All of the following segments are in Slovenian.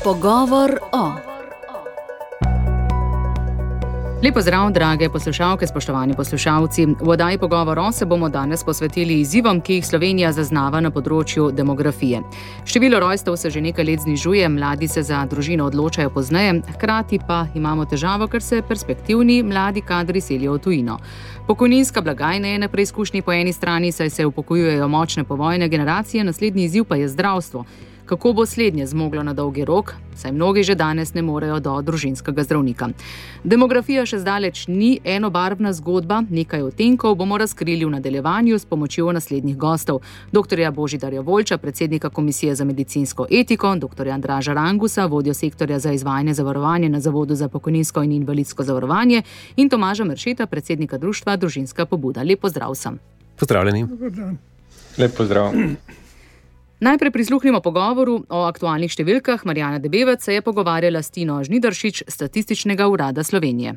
Pogovor o. Lep pozdrav, drage poslušalke, spoštovani poslušalci. V oddaji Pogovor o se bomo danes posvetili izzivom, ki jih Slovenija zaznava na področju demografije. Število rojstev se že nekaj let znižuje, mladi se za družino odločajo pozneje, hkrati pa imamo težavo, ker se perspektivni mladi kadri selijo v tujino. Pokojninska blagajna je na preizkušnji po eni strani, saj se upokojujejo močne povojne generacije, naslednji izziv pa je zdravstvo. Kako bo slednje zmoglo na dolgi rok, saj mnogi že danes ne morejo do družinskega zdravnika. Demografija še zdaleč ni enobarvna zgodba, nekaj odtenkov bomo razkrili v nadaljevanju s pomočjo naslednjih gostov. Dr. Božidarja Volča, predsednika Komisije za medicinsko etiko, dr. Andraža Rangusa, vodjo sektorja za izvajanje zavarovanja na Zavodu za pokojninsko in invalidsko zavarovanje in Tomaža Meršeta, predsednika društva Družinska pobuda. Lep pozdrav vsem. Pozdravljeni. Lep pozdrav. Najprej prisluhnimo pogovoru o aktualnih številkah. Marjana Debevec se je pogovarjala s Tino Žnidaršič, Statističnega urada Slovenije.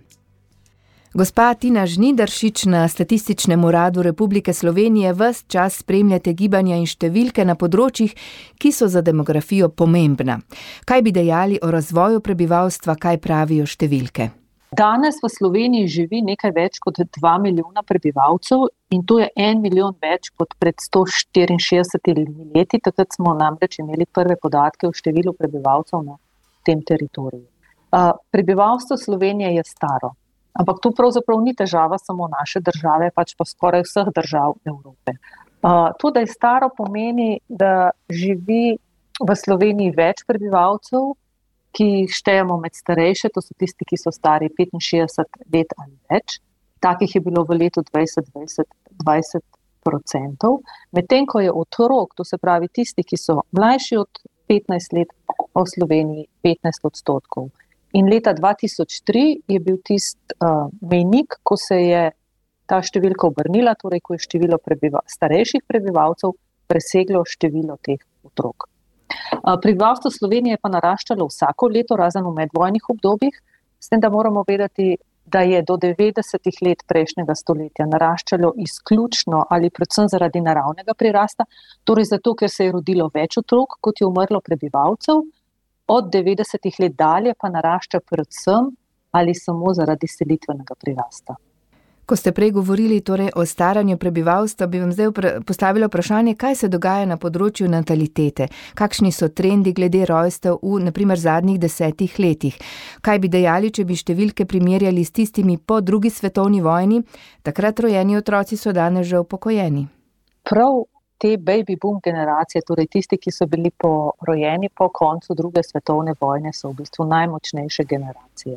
Gospa Tina Žnidaršič, na Statističnem uradu Republike Slovenije ves čas spremljate gibanja in številke na področjih, ki so za demografijo pomembna. Kaj bi dejali o razvoju prebivalstva, kaj pravijo številke? Danes v Sloveniji živi nekaj več kot 2 milijona prebivalcev in to je 1 milijon več kot pred 164 leti. Takrat smo namreč imeli prve podatke o številu prebivalcev na tem teritoriju. Prebivalstvo Slovenije je staro, ampak to pravzaprav ni težava samo naše države, pač pa skoraj vseh držav Evrope. To, da je staro, pomeni, da živi v Sloveniji več prebivalcev, ki jih štejemo med starejše, to so tisti, ki so stari 65 let ali več. Takih je bilo v letu 2020 20%. Medtem ko je otrok, to se pravi tisti, ki so mlajši od 15 let, v Sloveniji 15%. In leta 2003 je bil mejnik, ko se je ta številka obrnila, torej ko je število starejših prebivalcev preseglo število teh otrok. Prebivalstvo Slovenije pa naraščalo vsako leto, razen v medvojnih obdobjih, s tem, da moramo vedeti, da je do 90 let prejšnjega stoletja naraščalo izključno ali predvsem zaradi naravnega prirasta, torej zato, ker se je rodilo več otrok, kot je umrlo prebivalcev, od 90 let dalje pa narašča predvsem ali samo zaradi selitvenega prirasta. Ko ste prej govorili torej o staranju prebivalstva, bi vam zdaj postavila vprašanje, kaj se dogaja na področju natalitete, kakšni so trendi glede rojstev v, na primer, zadnjih 10 letih. Kaj bi dejali, če bi številke primerjali s tistimi po drugi svetovni vojni, takrat rojeni otroci so danes že upokojeni? Prav te baby boom generacije, torej tisti, ki so bili rojeni po koncu druge svetovne vojne, so v bistvu najmočnejše generacije.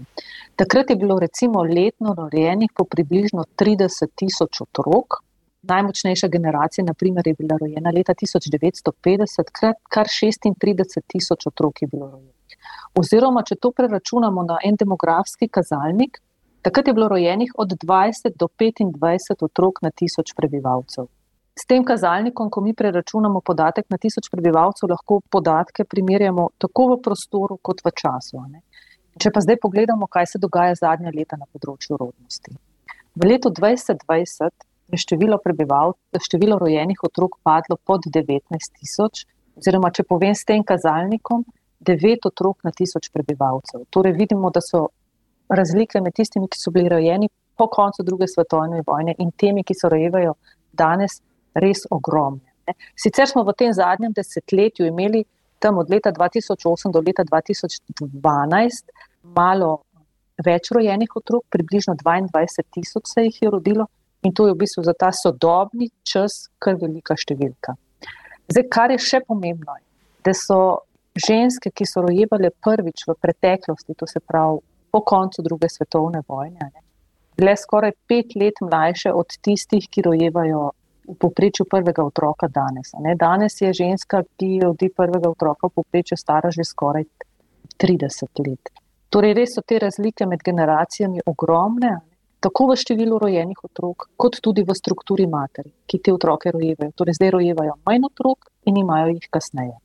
Takrat je bilo recimo letno rojenih po približno 30,000 otrok. Najmočnejša generacija, na primer, je bila rojena leta 1950, kar 36,000 otrok je bilo rojenih. Oziroma, če to preračunamo na en demografski kazalnik, takrat je bilo rojenih od 20 do 25 otrok na 1000 prebivalcev. S tem kazalnikom, ko mi preračunamo podatek na 1000 prebivalcev, lahko podatke primerjamo tako v prostoru kot v času. Če pa zdaj pogledamo, kaj se dogaja zadnja leta na področju rodnosti. V letu 2020 je število rojenih otrok padlo pod 19,000, oziroma če povem s tem kazalnikom, 9 otrok na 1000 prebivalcev. Torej vidimo, da so razlike med tistimi, ki so bili rojeni po koncu druge svetovne vojne in temi, ki se rojevajo danes, res ogromne. Sicer smo v tem zadnjem desetletju imeli tam od leta 2008 do leta 2012 malo več rojenih otrok, približno 22,000 se jih je rodilo in to je v bistvu za ta sodobni čas kar velika številka. Zdaj, kar je še pomembno, da so ženske, ki so rojevale prvič v preteklosti, to se pravi po koncu druge svetovne vojne, bile skoraj 5 let mlajše od tistih, ki rojevajo v povprečju prvega otroka danes. Danes je ženska, ki rodi prvega otroka v povprečju stara že skoraj 30 let. Torej res so te razlike med generacijami ogromne, tako v številu rojenih otrok, kot tudi v strukturi materi, ki te otroke rojevajo. Torej zdaj rojevajo manj otrok in imajo jih kasneje.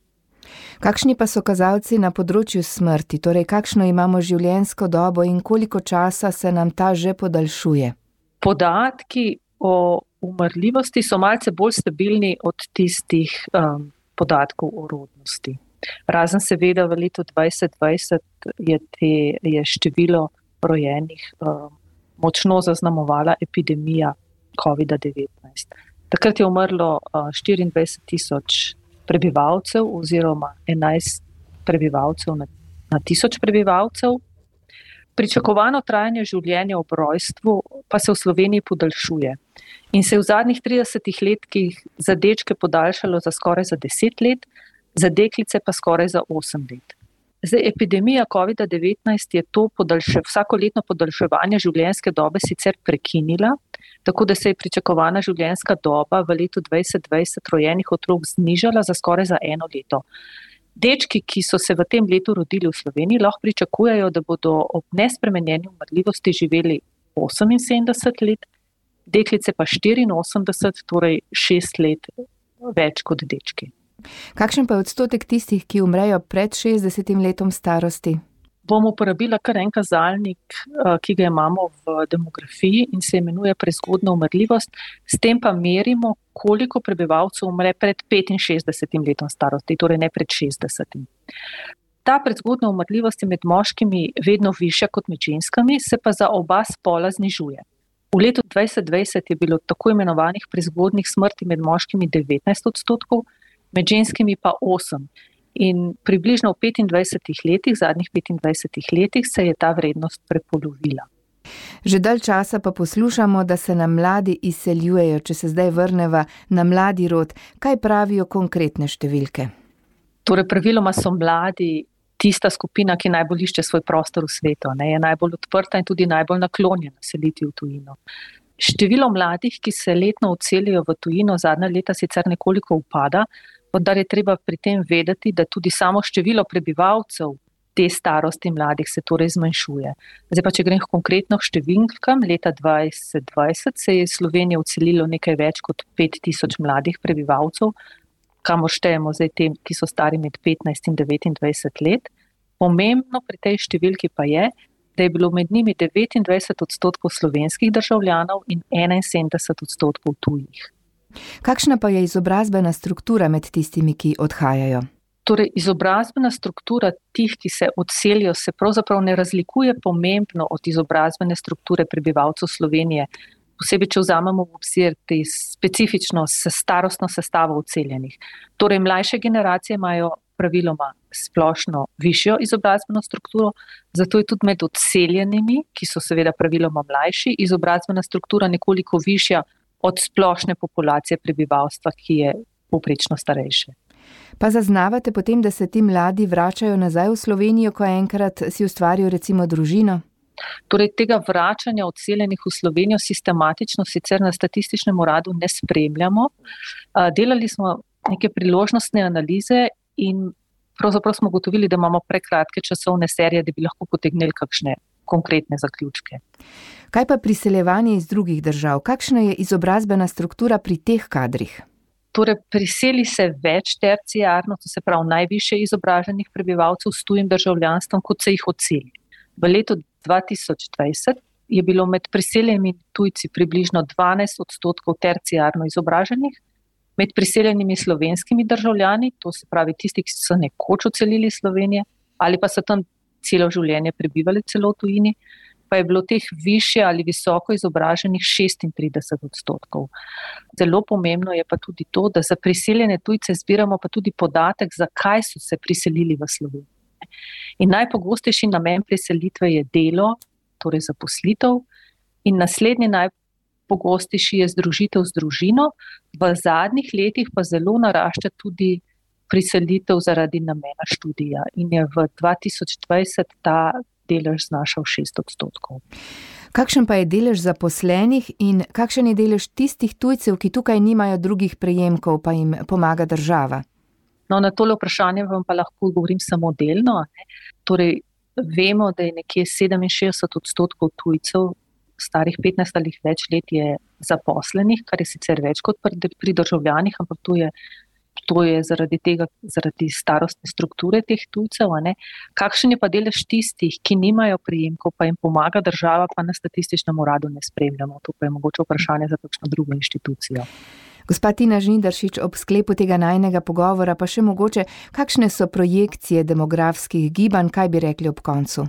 Kakšni pa so kazalci na področju smrti? Torej, kakšno imamo življenjsko dobo in koliko časa se nam ta že podaljšuje? Podatki o umrljivosti so malce bolj stabilni od tistih podatkov o rodnosti. Razen seveda v letu 2020 je število rojenih močno zaznamovala epidemija COVID-19. Takrat je umrlo 24,000 prebivalcev oziroma 11 prebivalcev na 1000 prebivalcev. Pričakovano trajanje življenja ob rojstvu pa se v Sloveniji podaljšuje in se je v zadnjih 30 letih za dečke podaljšalo za skoraj za 10 let, za deklice pa skoraj za 8 let. Zdaj, epidemija COVID-19 je to vsakoletno podaljševanje življenjske dobe sicer prekinila, tako da se je pričakovana življenjska doba v letu 2020 rojenih otrok znižala za skoraj za 1 leto. Dečki, ki so se v tem letu rodili v Sloveniji, lahko pričakujejo, da bodo ob nespremenjeni umrljivosti živeli 78 let, deklice pa 84, torej 6 let več kot dečki. Kakšen pa je odstotek tistih, ki umrejo pred 60 letom starosti? Bom uporabila kar en kazalnik, ki ga imamo v demografiji in se imenuje prezgodna umrljivost. S tem pa merimo, koliko prebivalcev umre pred 65 letom starosti, torej ne pred 60. Ta prezgodna umrljivost je med moškimi vedno višja kot med ženskami, se pa za oba spola znižuje. V letu 2020 je bilo tako imenovanih prezgodnih smrti med moškimi 19%, med ženskimi pa 8%. In približno v 25 letih, zadnjih 25 letih, se je ta vrednost prepolovila. Že dalj časa pa poslušamo, da se nam mladi izseljujejo. Če se zdaj vrneva na mladi rod, kaj pravijo konkretne številke? Torej, praviloma so mladi tista skupina, ki najbolj išče svoj prostor v svetu, je najbolj odprta in tudi najbolj naklonjena seliti v tujino. Število mladih, ki se letno odselijo v tujino, zadnja leta sicer nekoliko upada, vendar je treba pri tem vedeti, da tudi samo število prebivalcev te starosti mladih se torej zmanjšuje. Zdaj pa, če grem konkretno k številkam, leta 2020 se je Slovenija odselilo nekaj več kot 5000 mladih prebivalcev, kamor štejemo zdaj te, ki so stari med 15 in 29 let. Pomembno pri tej številki pa je, da je bilo med njimi 29% slovenskih državljanov in 71% tujih. Kakšna pa je izobrazbena struktura med tistimi, ki odhajajo? Torej, izobrazbena struktura tih, ki se odselijo, se pravzaprav ne razlikuje pomembno od izobrazbene strukture prebivalcev Slovenije, posebej, če vzamemo v obzir specifično starostno sestavo odseljenih. Torej, mlajše generacije imajo praviloma splošno višjo izobrazbeno strukturo, zato je tudi med odseljenimi, ki so seveda praviloma mlajši, izobrazbena struktura nekoliko višja od splošne populacije prebivalstva, ki je povprečno starejše. Pa zaznavate potem, da se ti mladi vračajo nazaj v Slovenijo, ko enkrat si ustvarijo recimo družino? Torej, tega vračanja odseljenih v Slovenijo sistematično sicer na statističnem uradu ne spremljamo. Delali smo neke priložnostne analize in pravzaprav smo ugotovili, da imamo prekratke časovne serije, da bi lahko potegnili kakšne konkretne zaključke. Kaj pa priseljevanje iz drugih držav? Kakšna je izobrazbena struktura pri teh kadrih? Torej, priseli se več terciarno, to se pravi najvišje izobraženih prebivalcev s tujim državljanstvom, kot se jih odseli. V letu 2020 je bilo med priseljenimi tujci približno 12% terciarno izobraženih, med priseljenimi slovenskimi državljani, to se pravi tisti, ki so nekoč odselili Slovenije ali pa so tam celo življenje prebivali celo v tujini, pa je bilo teh višje ali visoko izobraženih 36%. Zelo pomembno je pa tudi to, da za priseljene tujce zbiramo pa tudi podatek, zakaj so se priselili v Slovenijo. In najpogostejši namen priselitve je delo, torej zaposlitev, in naslednji najpogostejši je združitev z družino, v zadnjih letih pa zelo narašča tudi priselitev zaradi namena študija in je v 2020 ta delež znašal 6%. Kakšen pa je delež zaposlenih in kakšen je delež tistih tujcev, ki tukaj nimajo drugih prejemkov, pa jim pomaga država? No, na tole vprašanje vam pa lahko govorim samo delno. Torej, vemo, da je nekje 67% tujcev starih 15 ali več let je zaposlenih, kar je sicer več kot pri državljanih, ampak to je zaradi starostne strukture teh tujcev. Kakšen je pa delež tistih, ki nimajo prejemkov, pa jim pomaga država, pa na statističnem uradu ne spremljamo. To pa je mogoče vprašanje za kakšno drugo inštitucijo. Gospa Tina Žnidaršič, ob sklepu tega najinega pogovora pa še mogoče, kakšne so projekcije demografskih gibanj, kaj bi rekli ob koncu?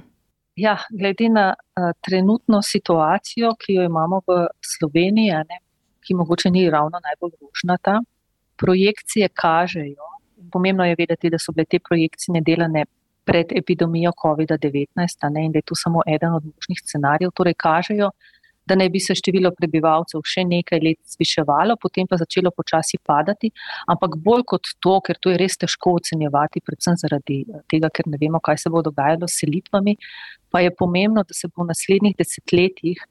Ja, glede na trenutno situacijo, ki jo imamo v Sloveniji, ki mogoče ni ravno najbolj rožnata, projekcije kažejo, pomembno je vedeti, da so bile te projekcije delane pred epidemijo COVID-19, in da je to samo eden od možnih scenarijev, torej kažejo, da naj bi se število prebivalcev še nekaj let zviševalo, potem pa začelo počasi padati, ampak bolj kot to, ker to je res težko ocenjevati, predvsem zaradi tega, ker ne vemo, kaj se bo dogajalo s selitvami, pa je pomembno, da se bo v naslednjih desetletjih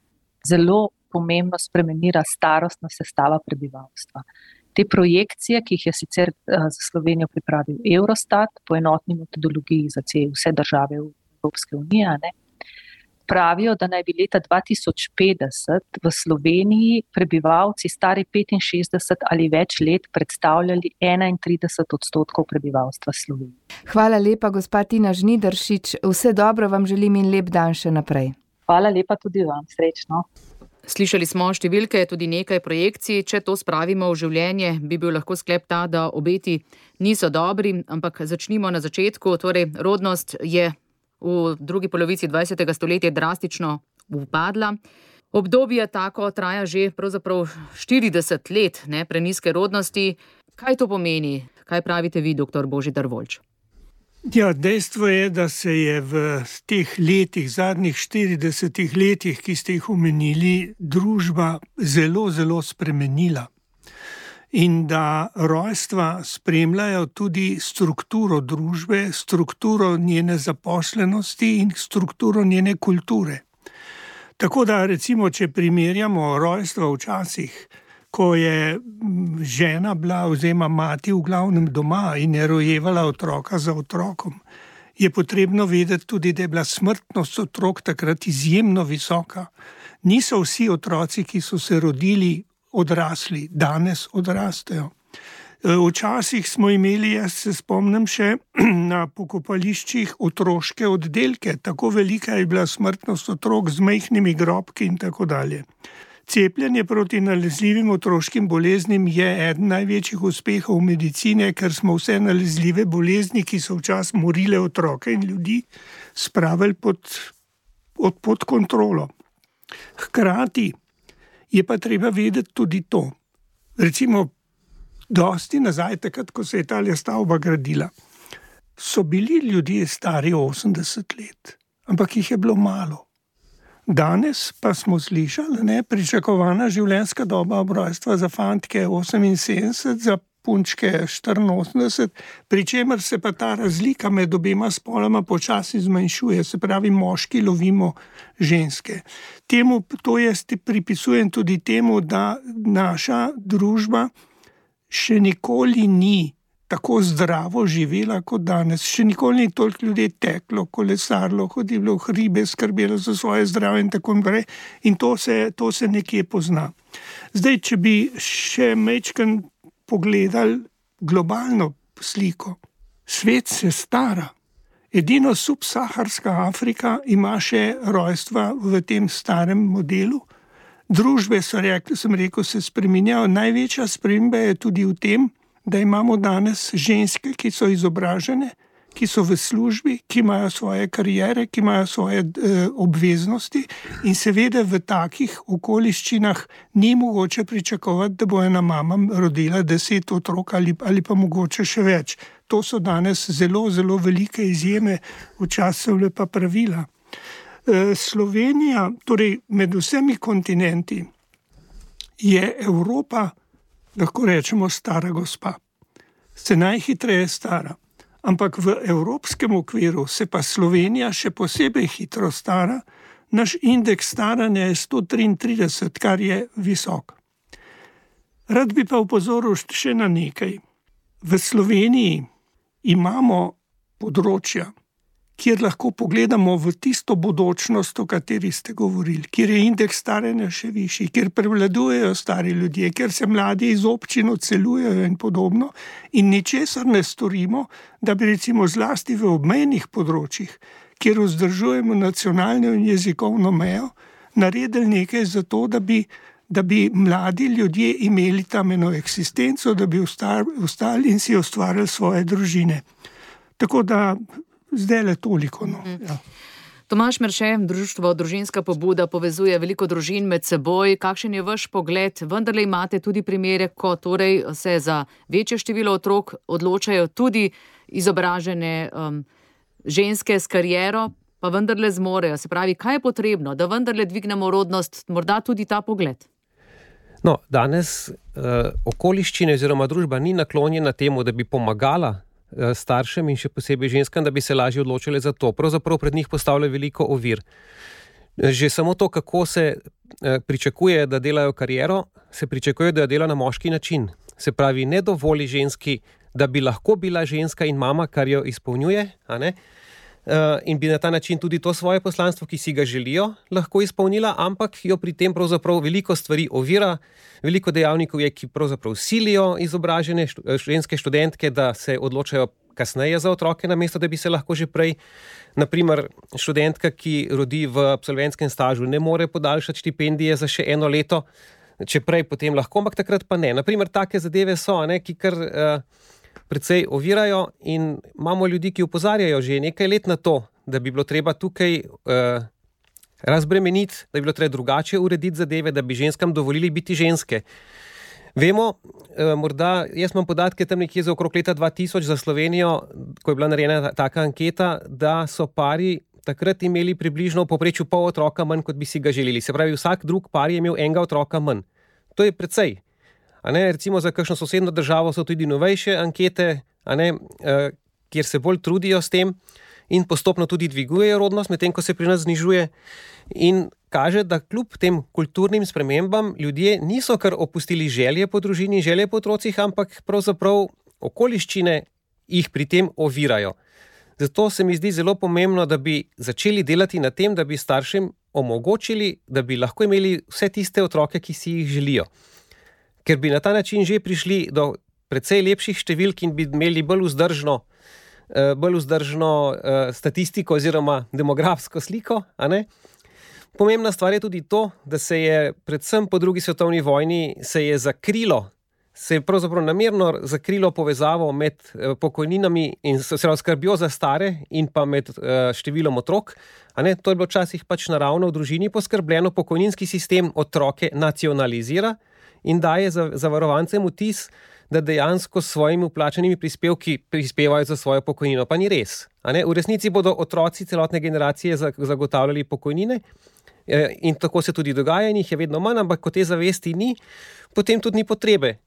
zelo pomembno spremenila starostna sestava prebivalstva. Te projekcije, ki jih je sicer za Slovenijo pripravil Eurostat po enotni metodologiji za vse države Evropske unije, pravijo, da naj bi leta 2050 v Sloveniji prebivalci stari 65 ali več let predstavljali 31% prebivalstva Slovenije. Hvala lepa, gospa Tina Žnidaršič. Vse dobro vam želim in lep dan še naprej. Hvala lepa tudi vam. Srečno. Slišali smo številke, tudi nekaj projekcij. Če to spravimo v življenje, bi bil lahko sklep ta, da obeti niso dobri, ampak začnimo na začetku. Torej, rodnost je v drugi polovici 20. stoletja drastično upadla. Obdobje tako traja že pravzaprav 40 let prenizke rodnosti. Kaj to pomeni? Kaj pravite vi, dr. Božidar Voljč? Ja, dejstvo je, da se je v teh letih, zadnjih 40 letih, ki ste jih omenili, družba zelo, zelo spremenila. In da rojstva spremljajo tudi strukturo družbe, strukturo njene zaposlenosti in strukturo njene kulture. Tako da recimo, če primerjamo rojstva včasih, ko je žena bila oziroma mati v glavnem doma in je rojevala otroka za otrokom, je potrebno vedeti tudi, da je bila smrtnost otrok takrat izjemno visoka. Niso vsi otroci, ki so se rodili, odrasli, danes odrastejo. Včasih smo imeli, jaz se spomnim še na pokopališčih otroške oddelke, tako velika je bila smrtnost otrok z majhnimi grobki in tako dalje. Cepljenje proti nalezljivim otroškim boleznim je eden največjih uspehov medicine, ker smo vse nalezljive bolezni, ki so včasih morile otroke in ljudi, spravili pod kontrolo. Hkrati je pa treba vedeti tudi to. Recimo, dosti nazaj, takrat, ko se je ta stavba gradila, so bili ljudje stari 80 let, ampak jih je bilo malo. Danes pa smo slišali, pričakovana življenjska doba ob rojstva za fantke 78, za punčke 84, pri čemer se pa ta razlika med obema spoloma počasi zmanjšuje, se pravi, moški lovimo ženske. To jaz pripisujem tudi temu, da naša družba še nikoli ni tako zdravo živela kot danes. Še nikoli ni toliko ljudi teklo, kolesarilo, hodilo v hribe, skrbelo za svoje zdravje in tako naprej. In to se nekje pozna. Zdaj, če bi še majčkeno pogledali globalno sliko, svet se stara. Edino subsaharska Afrika ima še rojstva v tem starem modelu. Družbe, sem rekel, se spreminjajo. Največja sprememba je tudi v tem, da imamo danes ženske, ki so izobražene, ki so v službi, ki imajo svoje kariere, ki imajo svoje obveznosti in seveda v takih okoliščinah ni mogoče pričakovati, da bo ena mama rodila 10 otrok ali pa mogoče še več. To so danes zelo, zelo velike izjeme, včasih so pa pravila. Slovenija, torej med vsemi kontinenti, je Evropa, lahko rečemo, stara gospa. Se najhitreje stara. Ampak v evropskem okviru se pa Slovenija še posebej hitro stara. Naš indeks staranja je 133, kar je visok. Rad bi pa upozoril še na nekaj. V Sloveniji imamo področja, kjer lahko pogledamo v tisto bodočnost, o kateri ste govorili, kjer je indeks staranja še višji, kjer prevladujejo stari ljudje, kjer se mladi iz občin odseljujejo in podobno, in ničesar ne storimo, da bi recimo zlasti v obmejnih področjih, kjer vzdržujemo nacionalno in jezikovno mejo, naredili nekaj za to, da bi da bi mladi ljudje imeli tam eno eksistenco, da bi ostali in si ustvarjali svoje družine. Tako da zdaj le toliko. No. Ja. Tomaž Merše, društvo Družinska pobuda povezuje veliko družin med seboj. Kakšen je vaš pogled? Vendarle imate tudi primere, ko torej se za večje število otrok odločajo tudi izobražene ženske s kariero, pa vendarle zmorejo. Se pravi, kaj je potrebno, da vendarle dvignemo rodnost, morda tudi ta pogled? No, danes okoliščine oziroma družba ni naklonjena temu, da bi pomagala staršem in še posebej ženskam, da bi se lažje odločile za to. Pravzaprav pred njih postavlja veliko ovir. Že samo to, kako se pričakuje, da delajo kariero, se pričakuje, da jo dela na moški način. Se pravi, ne dovoli ženski, da bi lahko bila ženska in mama, kar jo izpolnjuje, a ne? In bi na ta način tudi to svoje poslanstvo, ki si ga želijo, lahko izpolnila, ampak jo pri tem pravzaprav veliko stvari ovira, veliko dejavnikov je, ki pravzaprav silijo izobražene ženske študentke, da se odločajo kasneje za otroke, namesto da bi se lahko že prej. Naprimer, študentka, ki rodi v absolventskem stažu, ne more podaljšati štipendije za še 1 leto, če prej potem lahko, ampak takrat pa ne. Naprimer, take zadeve so, ne, ki kar precej ovirajo in imamo ljudi, ki opozarjajo že nekaj let na to, da bi bilo treba tukaj razbremeniti, da bi bilo treba drugače urediti zadeve, da bi ženskam dovolili biti ženske. Vemo, morda, jaz imam podatke tam nekje za okrog leta 2000 za Slovenijo, ko je bila narejena taka anketa, da so pari takrat imeli približno v povprečju pol otroka manj, kot bi si ga želeli. Se pravi, vsak drug par je imel enega otroka manj. To je precej. A ne, recimo za kakšno sosedno državo so tudi novejše ankete, a ne, kjer se bolj trudijo s tem in postopno tudi dvigujejo rodnost, medtem ko se pri nas znižuje. In kaže, da kljub tem kulturnim spremembam ljudje niso kar opustili želje po družini, želje po otrocih, ampak pravzaprav okoliščine jih pri tem ovirajo. Zato se mi zdi zelo pomembno, da bi začeli delati na tem, da bi staršem omogočili, da bi lahko imeli vse tiste otroke, ki si jih želijo. Ker bi na ta način že prišli do precej lepših številk in bi imeli bolj vzdržno statistiko oziroma demografsko sliko, a ne? Pomembna stvar je tudi to, da se je predvsem po 2. svetovni vojni se je pravzaprav namerno zakrilo povezavo med pokojninami in skrbjo za stare in pa med številom otrok. A ne? To je bilo včasih pač naravno v družini poskrbljeno, pokojninski sistem otroke nacionalizira in daje zavarovancem vtis, da dejansko s svojimi vplačanimi prispevki prispevajo za svojo pokojnino. Pa ni res. A ne? V resnici bodo otroci celotne generacije zagotavljali pokojnine in tako se tudi dogaja in jih je vedno manj, ampak ko te zavesti ni, potem tudi ni potrebe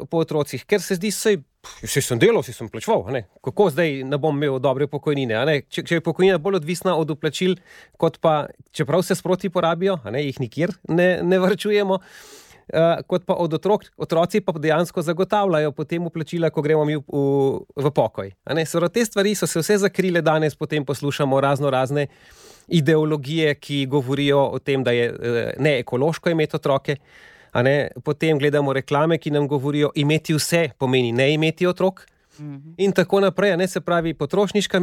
po otrocih, ker se zdi, saj sem delal, saj sem plačeval, kako zdaj ne bom imel dobre pokojnine, če je pokojnina bolj odvisna od vplačil, kot pa, čeprav se sproti porabijo, jih nikjer ne varčujemo, kot pa od otroci pa dejansko zagotavljajo potem vplačila, ko gremo mi v pokoj. Te stvari so se vse zakrile, danes potem poslušamo razne ideologije, ki govorijo o tem, da je neekološko imeti otroke, potem gledamo reklame, ki nam govorijo, imeti vse pomeni ne imeti otrok, in tako naprej, se pravi potrošniška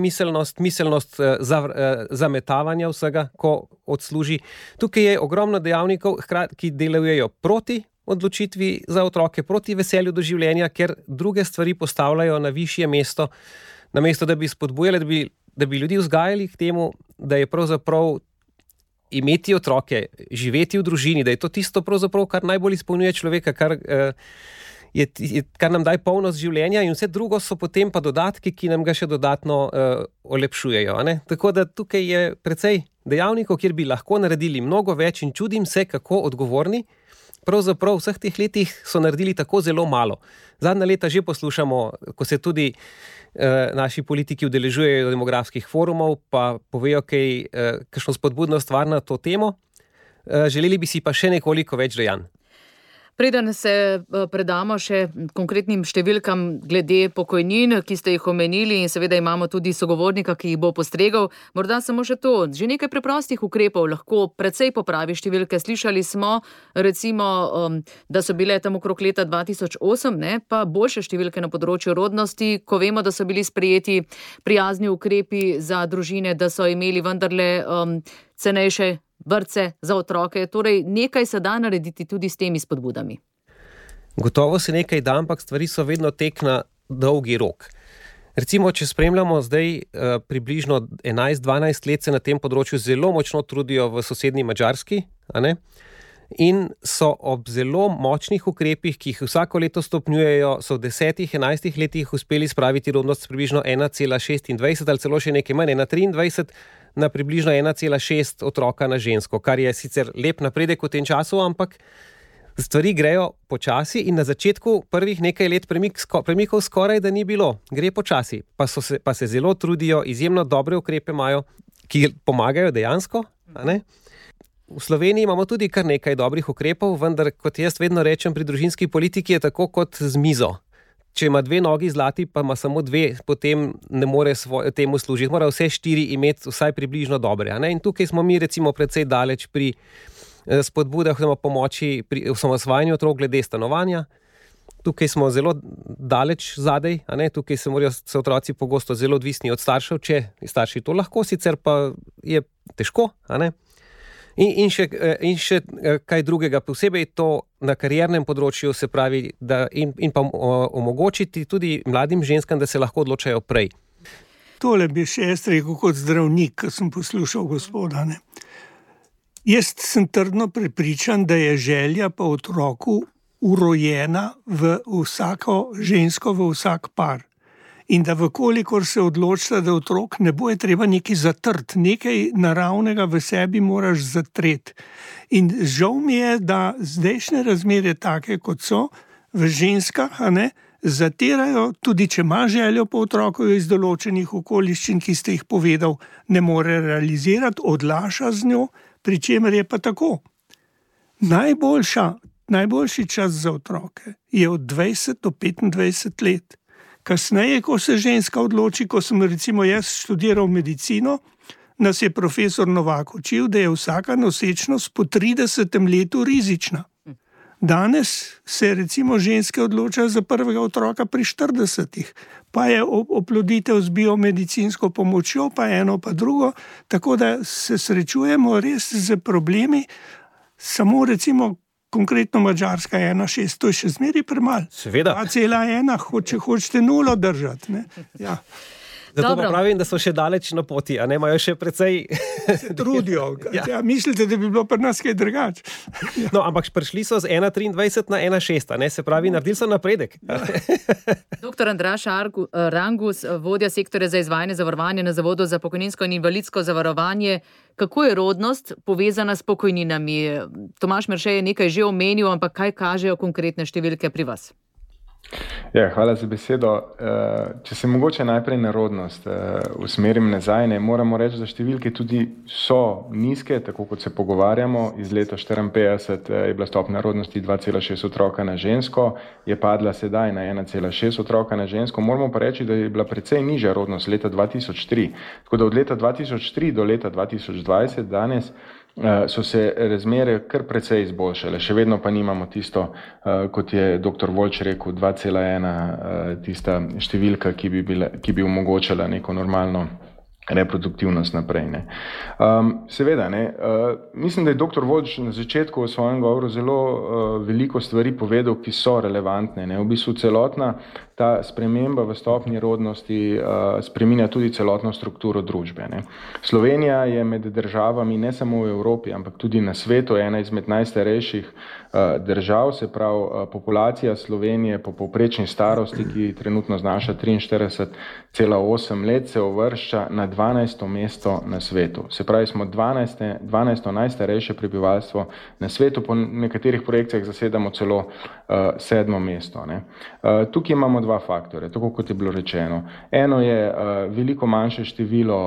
miselnost zametavanja vsega, ko odsluži. Tukaj je ogromno dejavnikov, ki delujejo proti odločitvi za otroke, proti veselju do življenja, ker druge stvari postavljajo na višje mesto, namesto da bi spodbujali, da bi ljudi vzgajali k temu, da je pravzaprav imeti otroke, živeti v družini, da je to tisto pravzaprav, kar najbolj izpolnjuje človeka, kar nam daje polnost življenja, in vse drugo so potem pa dodatki, ki nam ga še dodatno olepšujejo. Tako da tukaj je precej dejavnikov, kjer bi lahko naredili mnogo več in čudim se, kako odgovorni. Pravzaprav v vseh teh letih so naredili tako zelo malo. Zadnja leta že poslušamo, ko se tudi naši politiki udeležujejo demografskih forumov, pa povejo kakšno spodbudno stvar na to temo. Želeli bi si pa še nekoliko več dejanj. Preden se predamo še konkretnim številkam glede pokojnin, ki ste jih omenili, in seveda imamo tudi sogovornika, ki jih bo postregal, morda samo še to, že nekaj preprostih ukrepov lahko precej popravi številke. Slišali smo, recimo, da so bile tam okrog leta 2008, pa boljše številke na področju rodnosti, ko vemo, da so bili sprejeti prijazni ukrepi za družine, da so imeli vendarle cenejše vrtce za otroke, torej nekaj se da narediti tudi s temi spodbudami. Gotovo se nekaj da, ampak stvari so vedno tek na dolgi rok. Recimo, če spremljamo zdaj približno 11-12 let se na tem področju zelo močno trudijo v sosednji Madžarski, a ne? In so ob zelo močnih ukrepih, ki jih vsako leto stopnjujejo, so v 10-11 letih uspeli spraviti rodnost približno 1,26 ali celo še nekaj manj, 1,23 na približno 1,6 otroka na žensko, kar je sicer lep napredek v tem času, ampak stvari grejo počasi in na začetku prvih nekaj let premikov skoraj da ni bilo. Gre počasi, pa se zelo trudijo, izjemno dobre ukrepe imajo, ki pomagajo dejansko, a ne? V Sloveniji imamo tudi kar nekaj dobrih ukrepov, vendar, kot jaz vedno rečem, pri družinski politiki je tako kot z mizo. Če ima 2 nogi zlati, pa ima samo 2, potem ne more temu služiti. Mora vse 4 imeti vsaj približno dobre, a ne? In tukaj smo mi recimo precej daleč pri spodbudah oziroma pomoči pri osamosvajanju otrok glede stanovanja. Tukaj smo zelo daleč zadaj, a ne? Tukaj morajo otroci pogosto zelo odvisni od staršev, če starši to lahko, sicer pa je težko, a ne? In še kaj drugega, posebej to na kariernem področju, se pravi, da in pa omogočiti tudi mladim ženskam, da se lahko odločajo prej. Tole bi še jaz rekel kot zdravnik, ko sem poslušal gospoda, ne. Jaz sem trdno prepričan, da je želja po otroku urojena v vsako žensko, v vsak par. In da vkolikor se odločita, da otrok ne bo, je treba nekaj zatrti, nekaj naravnega v sebi moraš zatreti. In žal mi je, da zdajšnje razmere take, kot so, v ženskah, a ne, zatirajo, tudi če ima željo po otroku iz določenih okoliščin, ki ste jih povedal, ne more realizirati, odlaša z njo, pri čemer je pa tako. Najboljši čas za otroke je od 20 do 25 let. Kasneje, ko se ženska odloči, ko sem recimo jaz študiral medicino, nas je profesor Novak učil, da je vsaka nosečnost po 30. letu rizična. Danes se recimo ženske odločajo za prvega otroka pri 40. Pa je oploditev z biomedicinsko pomočjo, pa eno pa drugo, tako da se srečujemo res z problemi, samo recimo konkretno Madžarska 1,6, to je še zmeraj premalo. Seveda. 2,1, če hočete 0 držati, ne? Ja. Zato pa pravim, da so še daleč na poti, a ne, imajo še precej... Se trudijo. Ja, mislite, da bi bilo pri nas kaj drugače? Ja. No, ampak prišli so z 1,23 na 1,6, ne, se pravi, naredili so napredek. Ja. Dr. Andraž Rangus, vodja sektorja za izvajanje zavarovanja na Zavodu za pokojninsko in invalidsko zavarovanje. Kako je rodnost povezana s pokojninami? Tomaž Merše je nekaj že omenil, ampak kaj kažejo konkretne številke pri vas? Ja, hvala za besedo. Če se mogoče najprej na rodnost usmerim nazaj, ne, moramo reči, da številke tudi so nizke, tako kot se pogovarjamo. Iz leta 1954 je bila stopnja rodnosti 2,6 otroka na žensko, je padla sedaj na 1,6 otroka na žensko. Moramo pa reči, da je bila precej nižja rodnost leta 2003. Tako da od leta 2003 do leta 2020 danes so se razmere kar precej izboljšale. Še vedno pa nimamo tisto, kot je dr. Voljč rekel, 2,1 tista številka, ki bi omogočala neko normalno reproduktivnost naprej. Ne. Seveda, ne, mislim, da je dr. Voljč na začetku v svojem govoru zelo veliko stvari povedal, ki so relevantne. Ne. V bistvu celotna ta sprememba v stopnji rodnosti spreminja tudi celotno strukturo družbe. Ne. Slovenija je med državami ne samo v Evropi, ampak tudi na svetu ena izmed najstarejših držav, se pravi populacija Slovenije po povprečni starosti, ki trenutno znaša 43,8 let, se uvršča na 12. mesto na svetu. Se pravi, smo 12. najstarejše prebivalstvo na svetu, po nekaterih projekcijah zasedamo celo 7. mesto. Ne. Tukaj imamo 2 faktore, tako kot je bilo rečeno. Eno je veliko manjše število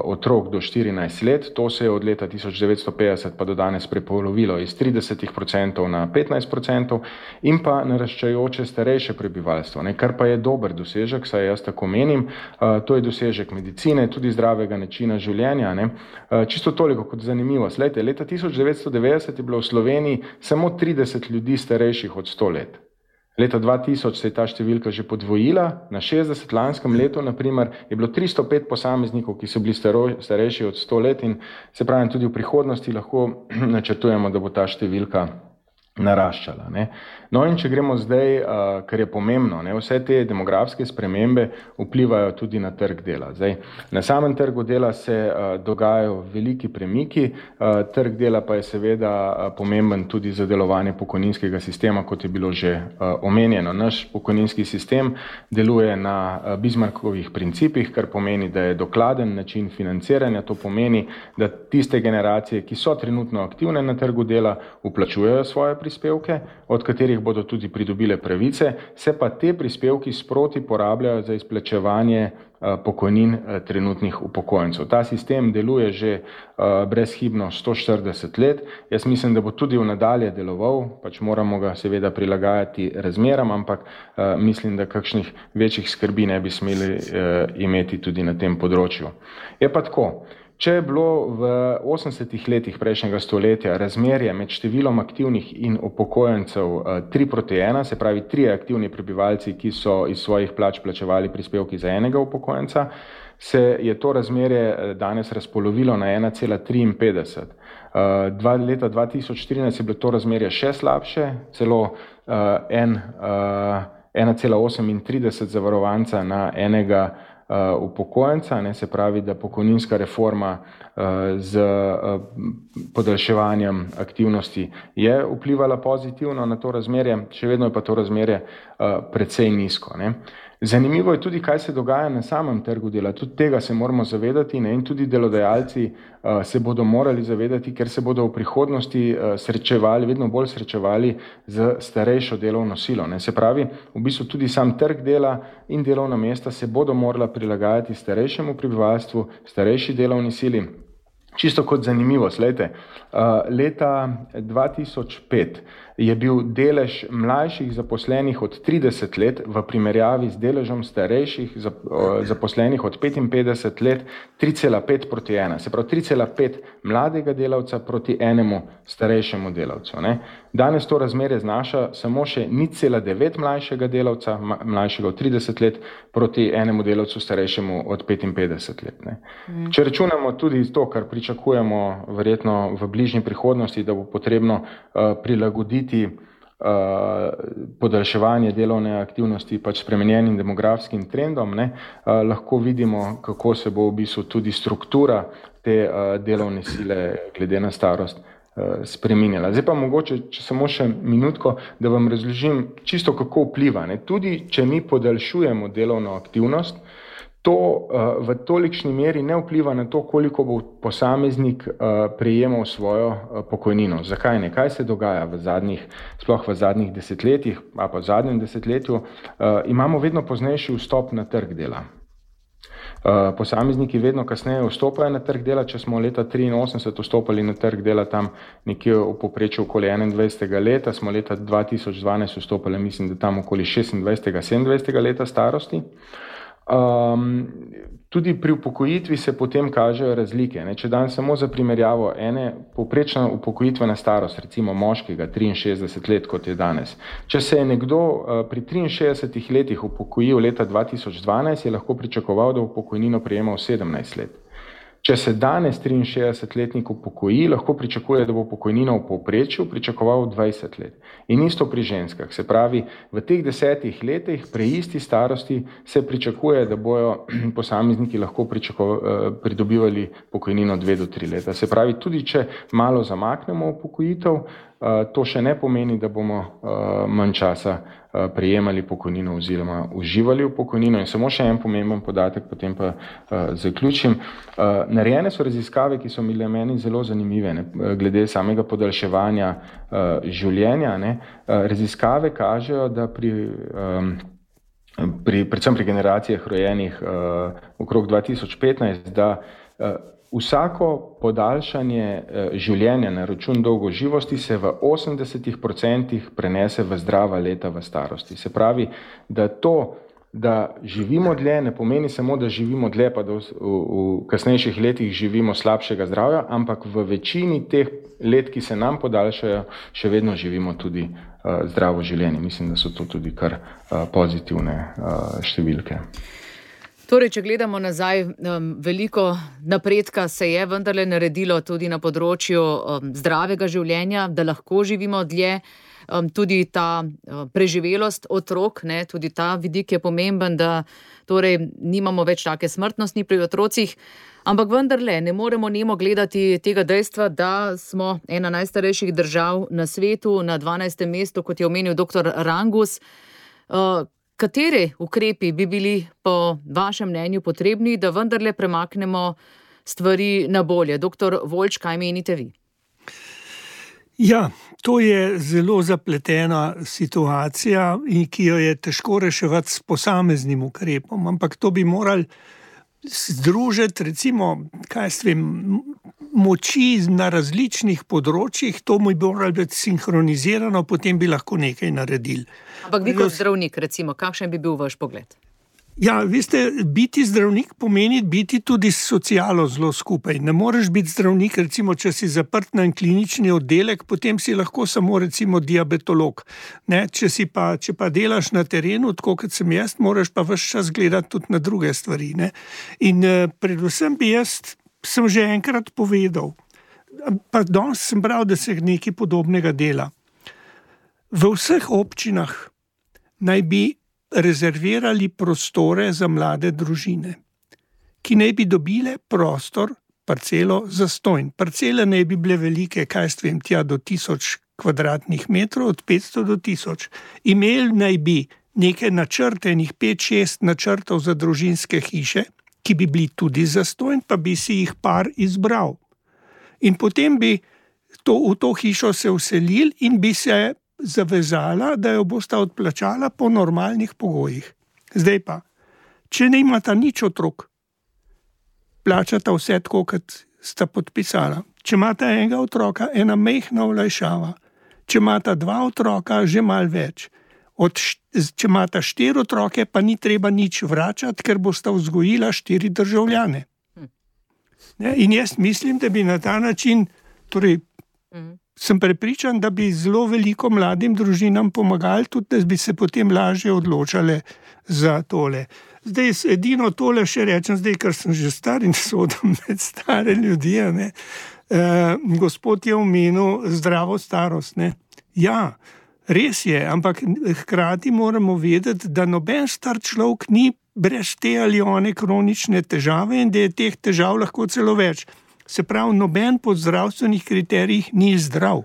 otrok do 14 let, to se je od leta 1950 pa do danes prepolovilo iz 30% na 15% in pa naraščajoče starejše prebivalstvo, ne, kar pa je dober dosežek, saj jaz tako menim, to je dosežek medicine, tudi zdravega načina življenja. Ne. Čisto toliko kot zanimivost. Leta 1990 je bilo v Sloveniji samo 30 ljudi starejših od 100 let. Leta 2000 se je ta številka že podvojila, na 60 lanskem letu, naprimer, je bilo 305 posameznikov, ki so bili starejši od 100 let in se pravi, tudi v prihodnosti lahko načrtujemo, da bo ta številka naraščala. Ne. No in če gremo zdaj, kar je pomembno, ne, vse te demografske spremembe vplivajo tudi na trg dela. Zdaj, na samem trgu dela se dogajajo veliki premiki, trg dela pa je seveda pomemben tudi za delovanje pokojninskega sistema, kot je bilo že omenjeno. Naš pokojninski sistem deluje na Bismarckovih principih, kar pomeni, da je dokladen način financiranja. To pomeni, da tiste generacije, ki so trenutno aktivne na trgu dela, vplačujejo svoje prispevke, od katerih bodo tudi pridobile pravice, se pa te prispevki sproti porabljajo za izplačevanje pokojnin trenutnih upokojencev. Ta sistem deluje že brezhibno 140 let. Jaz mislim, da bo tudi v nadalje deloval, pač moramo ga seveda prilagajati razmeram, ampak mislim, da kakšnih večjih skrbi ne bi smeli imeti tudi na tem področju. Je pa tako. Če je bilo v 80 letih prejšnjega stoletja razmerje med številom aktivnih in upokojencev 3:1, se pravi 3 aktivni prebivalci, ki so iz svojih plač plačevali prispevki za enega upokojenca, se je to razmerje danes razpolovilo na 1,53. Leta 2014 je bilo to razmerje še slabše, celo 1,38 zavarovanca na enega upokojenca, ne, se pravi, da pokojninska reforma z podaljševanjem aktivnosti je vplivala pozitivno na to razmerje, še vedno je pa to razmerje precej nizko. Ne. Zanimivo je tudi, kaj se dogaja na samem trgu dela. Tudi tega se moramo zavedati, ne, in tudi delodajalci se bodo morali zavedati, ker se bodo v prihodnosti vedno bolj srečevali z starejšo delovno silo. Ne. Se pravi, v bistvu tudi sam trg dela in delovna mesta se bodo morala prilagajati starejšemu prebivalstvu, starejši delovni sili. Čisto kot zanimivost, leta 2005 je bil delež mlajših zaposlenih od 30 let v primerjavi z deležem starejših zaposlenih od 55 let 3,5:1. Se pravi 3,5 mladega delavca proti enemu starejšemu delavcu. Ne. Danes to razmerje znaša samo še 0,9 mlajšega delavca, mlajšega od 30 let, proti enemu delavcu starejšemu od 55 let. Ne. Če računamo tudi to, kar pričakujemo verjetno v bližnji prihodnosti, da bo potrebno prilagoditi podaljševanje delovne aktivnosti pač spremenjenim demografskim trendom, ne, lahko vidimo, kako se bo v bistvu tudi struktura te delovne sile glede na starost spreminjala. Zdaj pa mogoče, če samo še minutko, da vam razložim čisto, kako vpliva. Ne. Tudi, če mi podaljšujemo delovno aktivnost, to v tolikšni meri ne vpliva na to, koliko bo posameznik prejemal svojo pokojnino. Zakaj ne? Kaj se dogaja sploh v zadnjih desetletjih, a pa v zadnjem desetletju? Imamo vedno poznejši vstop na trg dela. Posamezniki vedno kasneje vstopajo na trg dela. Če smo leta 1983 vstopali na trg dela tam nekje v povprečju okoli 21. leta, smo leta 2012 vstopali, mislim, da tam okoli 26. 27. leta starosti. Tudi pri upokojitvi se potem kažejo razlike. Ne. Če dan samo za primerjavo povprečna upokojitvena starost, recimo moškega 63 let, kot je danes. Če se je nekdo pri 63 letih upokojil leta 2012, je lahko pričakoval, da bo pokojnino prejemal 17 let. Če se danes 63-letnik upokoji, lahko pričakuje, da bo pokojnino v povprečju pričakoval 20 let. In isto pri ženskah. Se pravi, v teh 10 letih pri isti starosti se pričakuje, da bojo posamezniki lahko pridobivali pokojnino 2 do 3 leta. Se pravi, tudi če malo zamaknemo upokojitev, to še ne pomeni, da bomo manj časa prejemali pokojnino oziroma uživali v pokojnino. In samo še en pomemben podatek, potem pa zaključim. Narejene so raziskave, ki so bile meni zelo zanimive, ne, glede samega podaljševanja življenja. Ne. Raziskave kažejo, da predvsem pri generacijah rojenih okrog 2015, da vsako podaljšanje življenja na račun dolgoživosti se v 80% prenese v zdrava leta v starosti. Se pravi, da to da živimo dlje, ne pomeni samo, da živimo dlje, pa da v kasnejših letih živimo slabšega zdravja, ampak v večini teh let, ki se nam podaljšajo, še vedno živimo tudi zdravo življenje. Mislim, da so to tudi kar pozitivne številke. Torej, če gledamo nazaj, veliko napredka se je vendarle naredilo tudi na področju zdravega življenja, da lahko živimo dlje. Tudi ta preživelost otrok, ne, tudi ta vidik je pomemben, da torej nimamo več take smrtnosti pri otrocih, ampak vendarle ne moremo nemo gledati tega dejstva, da smo ena najstarejših držav na svetu, na 12. mestu, kot je omenil dr. Rangus. Kateri ukrepi bi bili po vašem mnenju potrebni, da vendarle premaknemo stvari na bolje? Dr. Voljč, kaj menite vi? Ja, to je zelo zapletena situacija, ki jo je težko reševati s posameznim ukrepom, ampak to bi morali združiti, recimo, moči na različnih področjih, to bi moralo biti sinhronizirano, potem bi lahko nekaj naredili. Ampak vi kot zdravnik, recimo, kakšen bi bil vaš pogled? Ja, veste, biti zdravnik pomeni biti tudi s socialo zelo skupaj. Ne moreš biti zdravnik, recimo, če si zaprt na klinični oddelek, potem si lahko samo recimo diabetolog. Ne? Če pa delaš na terenu, tako kot sem jaz, moraš pa ves čas gledati tudi na druge stvari. Ne? In predvsem sem že enkrat povedal, pa danes sem bral, da se nekaj podobnega dela. V vseh občinah naj bi rezervirali prostore za mlade družine, ki naj bi dobile prostor, parcelo zastonj. Parcele naj bi bile velike, tja do 1000 kvadratnih metrov, od 500 do 1000. Imeli naj bi neke načrte, 5-6 načrtov za družinske hiše, ki bi bili tudi zastonj, pa bi si jih par izbral. In potem bi v to hišo se vselili in bi se zavezala, da jo bosta odplačala po normalnih pogojih. Zdaj pa, če ne imata nič otrok, plačata vse tako, kot sta podpisala. Če imata enega otroka, ena majhna olajšava. Če imata 2 otroka, že malo več. Če imata 4 otroke, pa ni treba nič vračati, ker bosta vzgojila 4 državljane. In jaz mislim, da bi na ta način, sem prepričan, da bi zelo veliko mladim družinam pomagali, tudi da bi se potem lažje odločale za tole. Zdaj, edino tole še rečem, zdaj, ker sem že star in sodim med stare ljudi, gospod je omenil zdravo starost. Ne? Ja, res je, ampak hkrati moramo vedeti, da noben star človek ni brez te ali one kronične težave in da je teh težav lahko celo več. Se pravi, noben po zdravstvenih kriterijih ni zdrav.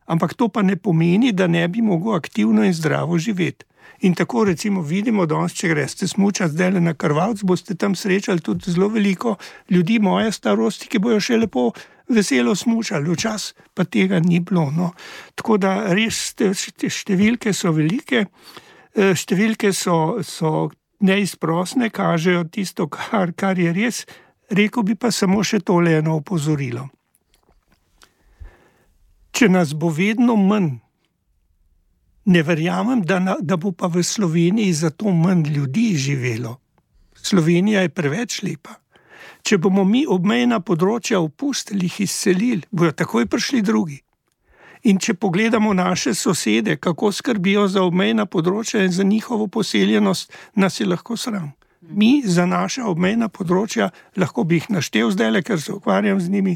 Ampak to pa ne pomeni, da ne bi mogel aktivno in zdravo živeti. In tako recimo vidimo danes, če greste smučati zdaj na Krvavec, boste tam srečali tudi zelo veliko ljudi moje starosti, ki bojo še lepo veselo smučali. Včasih pa tega ni bilo. No. Tako da res številke so velike, številke so neizprosne, kažejo tisto, kar je res. Rekel bi pa samo še tole eno opozorilo. Če nas bo vedno manj, ne verjamem, da bo pa v Sloveniji zato manj ljudi živelo. Slovenija je preveč lepa. Če bomo mi obmejna področja opustili, jih izselili, bojo takoj prišli drugi. In če pogledamo naše sosede, kako skrbijo za obmejna področja in za njihovo poseljenost, nas je lahko sram. Mi za naša obmejna področja, lahko bi jih naštel zdajle, ker se ukvarjam z njimi,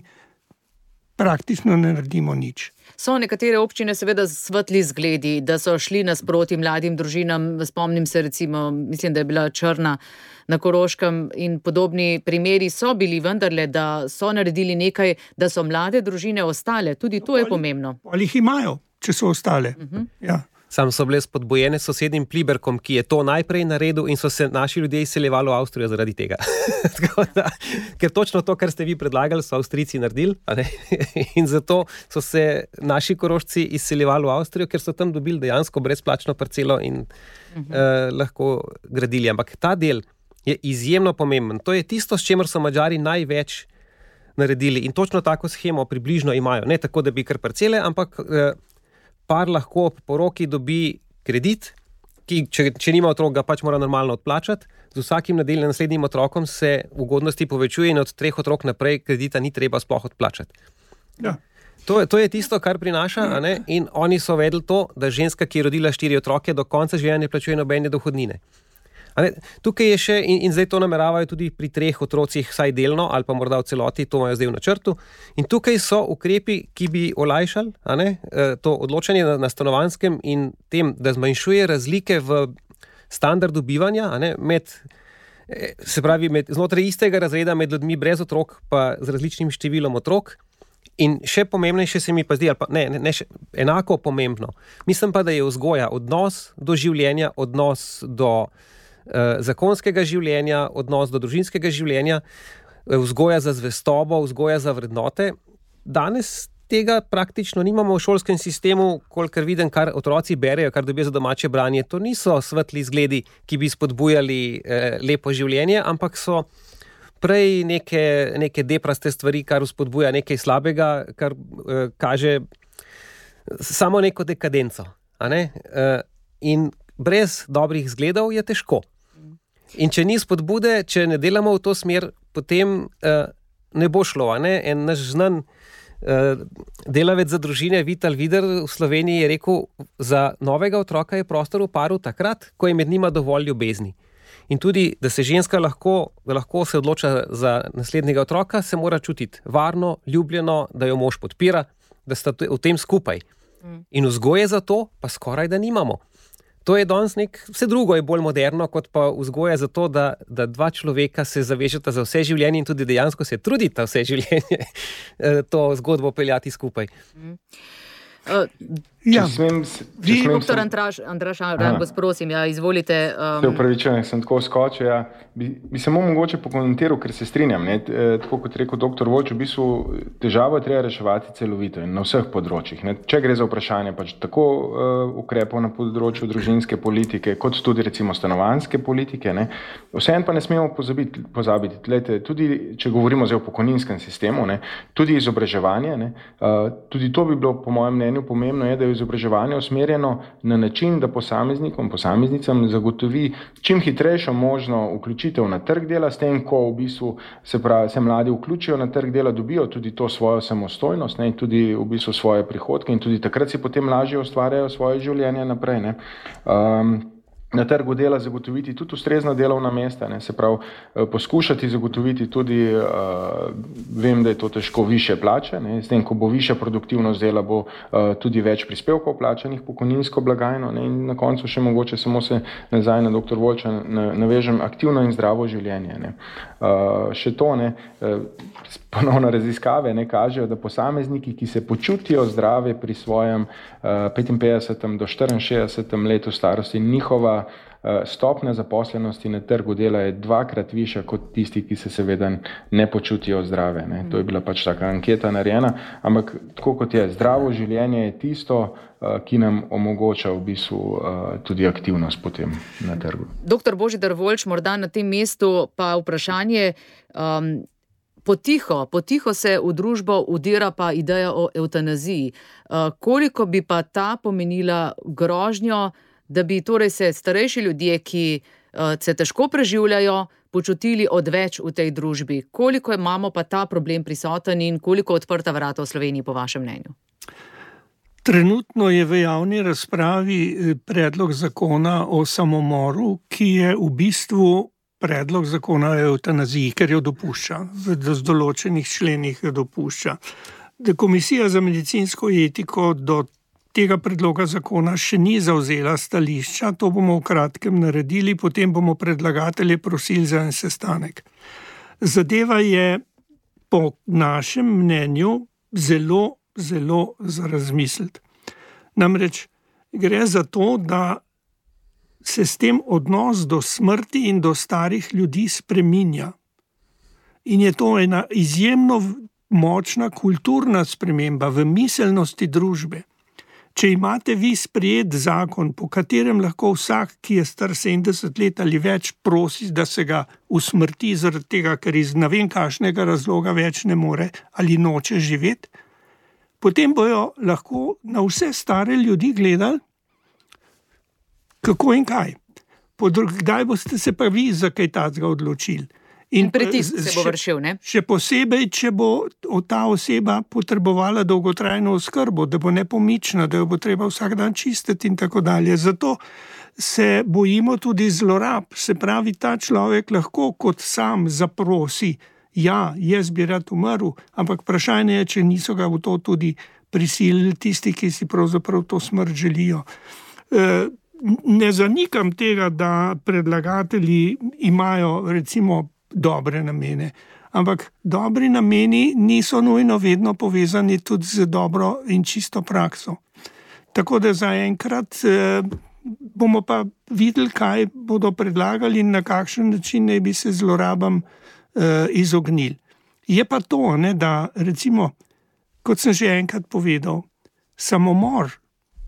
praktično ne naredimo nič. So nekatere občine seveda svetli zgledi, da so šli nasproti mladim družinam. Spomnim se recimo, mislim, da je bila Črna na Koroškem in podobni primeri so bili vendarle, da so naredili nekaj, da so mlade družine ostale. Tudi to je pomembno. Ali jih imajo, če so ostale. Ja. Sam so bile spodbojene s sosednjim Pliberkom, ki je to najprej naredil in so se naši ljudje izseljevali v Avstrijo zaradi tega. Ker točno to, kar ste vi predlagali, so Avstrijci naredili, in zato so se naši Korošci izseljevali v Avstrijo, ker so tam dobili dejansko brezplačno parcelo in lahko gradili. Ampak ta del je izjemno pomemben. To je tisto, s čemer so Madžari največ naredili in točno tako shemo približno imajo. Ne tako, da bi kar parcele, ampak par lahko po poroki dobi kredit ki, če nima otrok, ga pač mora normalno odplačati. Z vsakim naslednjim otrokom se ugodnosti povečuje in od 3 otrok naprej kredita ni treba sploh odplačati. Ja. To je tisto, kar prinaša, a ne? In oni so vedeli to, da ženska, ki je rodila 4 otroke, do konca življenja ne plačuje nobene dohodnine. Tukaj je še, in zdaj to nameravajo tudi pri 3 otrocih vsaj delno, ali pa morda v celoti, to imajo zdaj v načrtu. In tukaj so ukrepi, ki bi olajšali to odločanje na stanovanjskem in tem, da zmanjšuje razlike v standardu bivanja, znotraj istega razreda med ljudmi brez otrok, pa z različnim številom otrok. In še pomembnejše se mi pa zdi, ali pa enako pomembno, mislim pa, da je vzgoja, odnos do življenja, odnos do zakonskega življenja, odnos do družinskega življenja, vzgoja za zvestobo, vzgoja za vrednote. Danes tega praktično nimamo v šolskem sistemu, kolikor vidim, kar otroci berejo, kar dobijo za domače branje. To niso svetli zgledi, ki bi spodbujali lepo življenje, ampak so prej neke depraste stvari, kar spodbuja nekaj slabega, kar kaže samo neko dekadenco. In brez dobrih zgledov je težko. In če ni spodbude, če ne delamo v to smer, potem ne bo šlo. En naš znan delavec za družine Vital Vider v Sloveniji je rekel, za novega otroka je prostor v paru takrat, ko je med njima dovolj ljubezni. In tudi, da se ženska lahko se odloča za naslednjega otroka, se mora čutiti varno, ljubljeno, da jo mož podpira, da sta v tem skupaj. In vzgoje za to pa skoraj da nimamo. To je danes vse drugo je bolj moderno, kot pa vzgoja za to, da 2 človeka se zavežeta za vse življenje in tudi dejansko se trudita vse življenje to zgodbo peljati skupaj. Doktor Andraž Rangos, prosim, izvolite. Se upravičujem, sem tako skočil. Bi samo mogoče pokomentiral, ker se strinjam. Tako kot rekel dr. Volč, v bistvu težavo je treba reševati celovito in na vseh področjih. Če gre za vprašanje tako ukrepov na področju družinske politike, kot tudi recimo stanovanjske politike, vseeno pa ne smemo pozabiti. Tlete, tudi če govorimo zdaj o pokojninskem sistemu, tudi izobraževanje, tudi to bi bilo po mojem mnenju pomembno je, da je izobraževanje usmerjeno na način, da posameznicam zagotovi čim hitrejšo možno vključitev na trg dela, s tem, ko v bistvu se mladi vključijo na trg dela, dobijo tudi to svojo samostojnost in tudi v bistvu svoje prihodke in tudi takrat si potem lažje ustvarjajo svoje življenje naprej. Na trgu dela zagotoviti tudi ustrezna delovna mesta, se pravi poskušati zagotoviti tudi, vem, da je to težko, više plače, s tem, ko bo višja produktivnost dela, bo tudi več prispevkov plačanih pokojninsko blagajno in na koncu še mogoče samo se nazaj na dr. Volča navežem, aktivno in zdravo življenje. Še to, ponovno raziskave kažejo, da posamezniki, ki se počutijo zdrave pri svojem 55. do 64. letu starosti, njihova stopnja zaposlenosti na trgu dela je 2-krat višja kot tisti, ki se seveda ne počutijo zdrave. To je bila pač taka anketa narejena, ampak tako kot je, zdravo življenje je tisto, ki nam omogoča v bistvu tudi aktivnost potem na trgu. Doktor Božidar Volč, morda na tem mestu pa vprašanje, Potiho se v družbo udira pa ideja o evtanaziji. Koliko bi pa ta pomenila grožnjo, da bi torej se starejši ljudje, ki se težko preživljajo, počutili odveč v tej družbi? Koliko imamo pa ta problem prisoten in koliko odprta vrata v Sloveniji po vašem mnenju? Trenutno je v javni razpravi predlog zakona o samomoru, ki je v bistvu predlog zakona o evtanaziji, ker jo dopušča, v določenih členih jo dopušča. Komisija za medicinsko etiko do tega predloga zakona še ni zavzela stališča, to bomo v kratkem naredili, potem bomo predlagatelje prosili za en sestanek. Zadeva je po našem mnenju zelo, zelo za razmisliti. Namreč gre za to, da se s tem odnos do smrti in do starih ljudi spreminja. In je to ena izjemno močna kulturna sprememba v miselnosti družbe. Če imate vi sprejet zakon, po katerem lahko vsak, ki je star 70 let ali več, prosi, da se ga usmrti zaradi tega, ker iz ne vem kakšnega razloga več ne more ali noče živeti, potem bojo lahko na vse stare ljudi gledali, Kako in kaj? Kdaj boste se pa vi za kaj takega odločili? In pritisk se bo vršil, ne? Še posebej, če bo ta oseba potrebovala dolgotrajno oskrbo, da bo nepomična, da jo bo treba vsak dan čistiti in tako dalje. Zato se bojimo tudi zlorab. Se pravi, ta človek lahko kot sam zaprosi, ja, jaz bi rad umrl, ampak vprašanje je, če niso ga v to tudi prisilili tisti, ki si pravzaprav to smrt želijo. Ne zanikam tega, da predlagatelji imajo recimo dobre namene, ampak dobri nameni niso nujno vedno povezani tudi z dobro in čisto prakso. Tako da zaenkrat bomo pa videli, kaj bodo predlagali in na kakšen način naj bi se zlorabam izognili. Je pa to, ne, da recimo, kot sem že enkrat povedal, samomor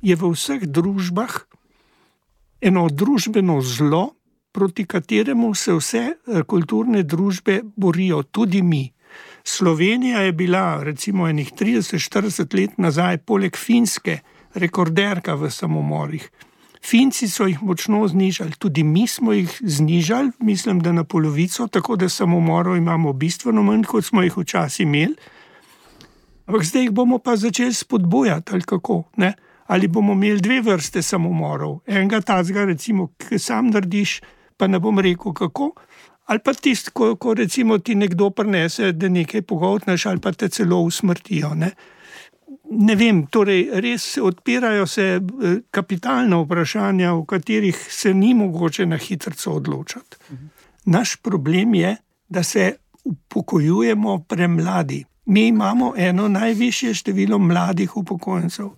je v vseh družbah eno družbeno zlo, proti kateremu se vse kulturne družbe borijo, tudi mi. Slovenija je bila recimo enih 30-40 let nazaj poleg Finske rekorderka v samomorih. Finci so jih močno znižali, tudi mi smo jih znižali, mislim, da na polovico, tako da samomorov imamo bistveno manj, kot smo jih včasih imeli. Ampak zdaj jih bomo pa začeli spodbujati, ali kako, ne? Ali bomo imeli dve vrste samomorov. Enega tazga, recimo, ki sam narediš, pa ne bom rekel kako, ali pa tisti, ko recimo ti nekdo prinese, da nekaj pogoltneš, ali pa te celo usmrtijo, ne? Ne vem, torej res odpirajo se kapitalna vprašanja, v katerih se ni mogoče na hitrico odločati. Naš problem je, da se upokojujemo premladi. Mi imamo eno najvišje število mladih upokojencev.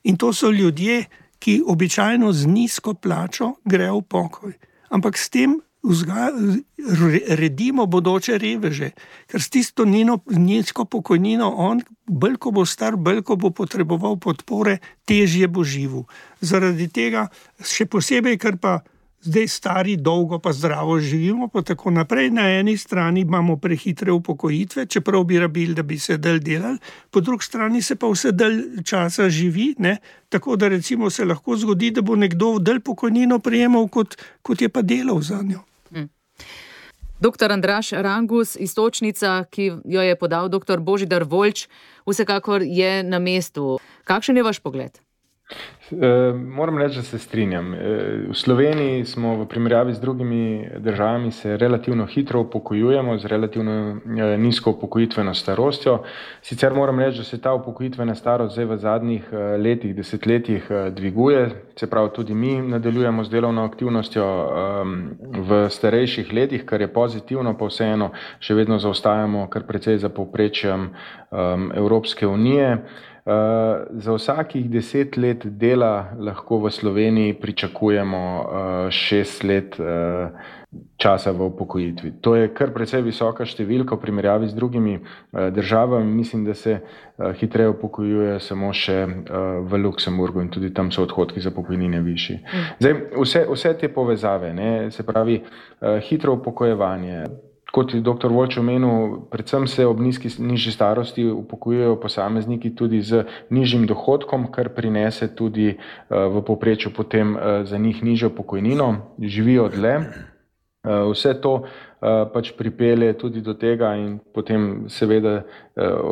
In to so ljudje, ki običajno z nizko plačo grejo v pokoj. Ampak s tem redimo bodoče reveže, ker s tisto nizko pokojnino on, bolj ko bo star, bolj ko bo potreboval podpore, težje bo živel. Zaradi tega, še posebej, ker pa zdaj stari dolgo pa zdravo živimo, pa tako naprej, na eni strani imamo prehitre upokojitve, čeprav bi rabili, da bi se dalj delali, po drugi strani se pa vse dalj časa živi, ne? Tako da recimo se lahko zgodi, da bo nekdo dalj pokojnino prejemal, kot je pa delal za njo. Dr. Andraž Rangus, iztočnica, ki jo je podal dr. Božidar Voljč, vsekakor je na mestu. Kakšen je vaš pogled? Moram reči, da se strinjam. V Sloveniji smo v primerjavi z drugimi državami se relativno hitro upokojujemo, z relativno nizko upokojitveno starostjo. Sicer moram reči, da se ta upokojitvena starost zdaj v zadnjih letih, desetletjih dviguje, se pravi tudi mi nadaljujemo z delovno aktivnostjo v starejših letih, kar je pozitivno, pa vseeno še vedno zaostajamo kar precej za povprečjem Evropske unije. Za vsakih 10 let dela lahko v Sloveniji pričakujemo 6 let časa v upokojitvi. To je kar precej visoka številka v primerjavi z drugimi državami. Mislim, da se hitreje upokojuje samo še v Luksemburgu in tudi tam so odhodki za pokojnine višji. Zdaj, vse te povezave, ne, se pravi hitro upokojevanje. Kot je dr. Voljč omenil, predvsem se ob nižji starosti upokojujejo posamezniki tudi z nižjim dohodkom, kar prinese tudi v povprečju potem za njih nižjo pokojnino, živijo dlje. Vse to pač pripelje tudi do tega in potem seveda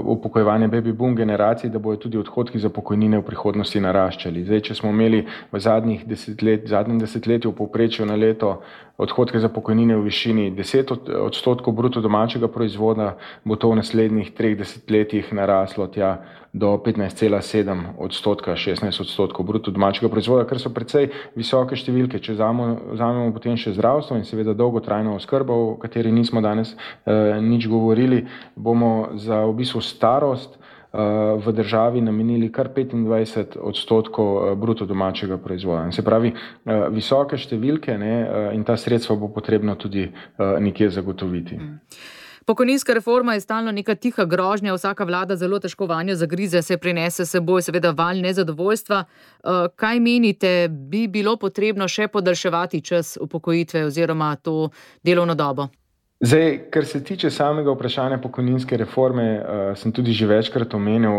upokojevanje baby boom generacij, da bojo tudi odhodki za pokojnine v prihodnosti naraščali. Zdaj, če smo imeli v zadnjem desetletju v povprečju na leto odhodke za pokojnine v višini 10% bruto domačega proizvoda, bo to v naslednjih 3 desetletjih naraslo tja do 15,7%, 16% bruto domačega proizvoda, kar so precej visoke številke. Če vzamemo potem še zdravstvo in seveda dolgotrajno oskrbo, o kateri nismo danes nič govorili, bomo za v bistvu starost v državi namenili kar 25% bruto domačega proizvoda. Se pravi, visoke številke, ne, in ta sredstva bo potrebno tudi nekje zagotoviti. Pokojninska reforma je stalno neka tiha grožnja, vsaka vlada zelo težko vanjo zagrize, se prinese seboj seveda val nezadovoljstva. Kaj menite, bi bilo potrebno še podaljševati čas upokojitve oziroma to delovno dobo? Zdaj, kar se tiče samega vprašanja pokojninske reforme, sem tudi že večkrat omenil,